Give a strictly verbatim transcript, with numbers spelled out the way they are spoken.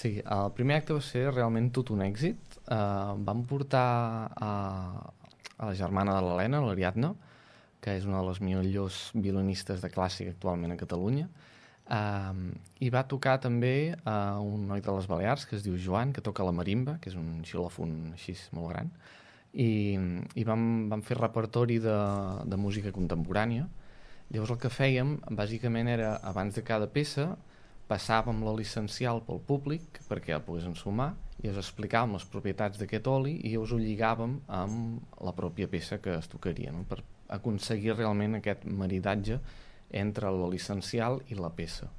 Sí, el primer acte va ser realment tot un èxit. Uh, vam portar a, a la germana de l'Helena, l'Ariadna, que és una de les millors violinistes de clàssic actualment a Catalunya, uh, i va tocar també uh, un noi de les Balears que es diu Joan, que toca la marimba, que és un xilòfon així molt gran, i, i vam, vam fer repertori de, de música contemporània. Llavors el que fèiem bàsicament era, abans de cada peça, passàvem l'oli essencial pel públic perquè el poguessin sumar i us explicàvem les propietats d'aquest oli i us ho lligàvem amb la pròpia peça que es tocaria, no? Per aconseguir realment aquest maridatge entre l'oli essencial i la peça.